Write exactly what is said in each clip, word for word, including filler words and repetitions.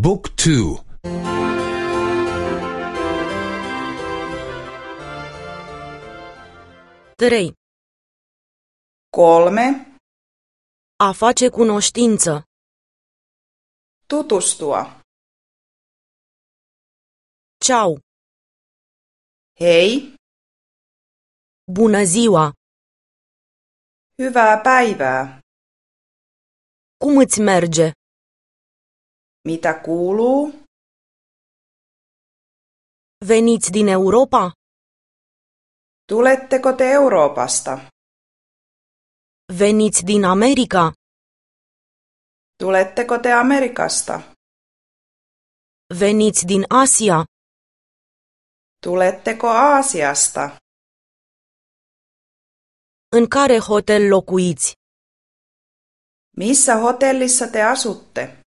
บุ๊กทูtrei. Kolme. A face cunoștință. Tutustua. Ciao. Hei. Bună ziua. Hyvää päivää. Cum îți merge? Mitä kuuluu? Veniți din Europa? Tuletteko te Euroopasta? Veniți din America? Tuletteko te Amerikasta? Veniți din Asia? Tuletteko Aasiasta? În care hotel locuiți? Missä hotellissa te asutte?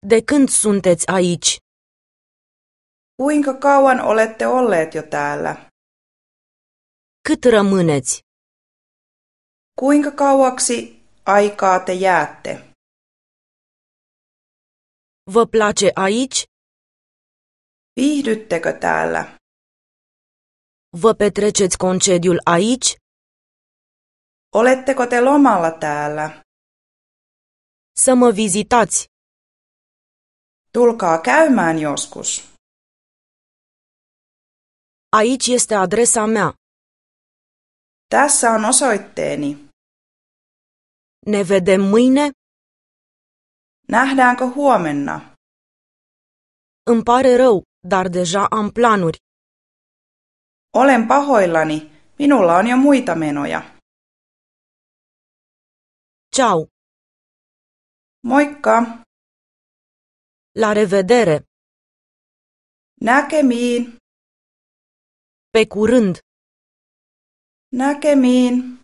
De când sunteți aici? Kuinka kauan olette olleet jo täällä? Cât rămâneți? Kuinka kauaksi aikaa te jäätte? Vă place aici? Viihdyttekö täällä? Vă petreceți concediul aici? Oletteko te lomalla täällä? Să mă vizitați. Tulkaa käymään joskus. Aici este adresa mea. Tässä on osoitteeni. Ne vedem mâine? Nähdäänkö huomenna? Îmi pare rău, dar deja am planuri. Olen pahoillani. Minulla on jo muita menoja. Ciao. Moikka. La revedere. Näkemiin. Pe curând. Näkemiin.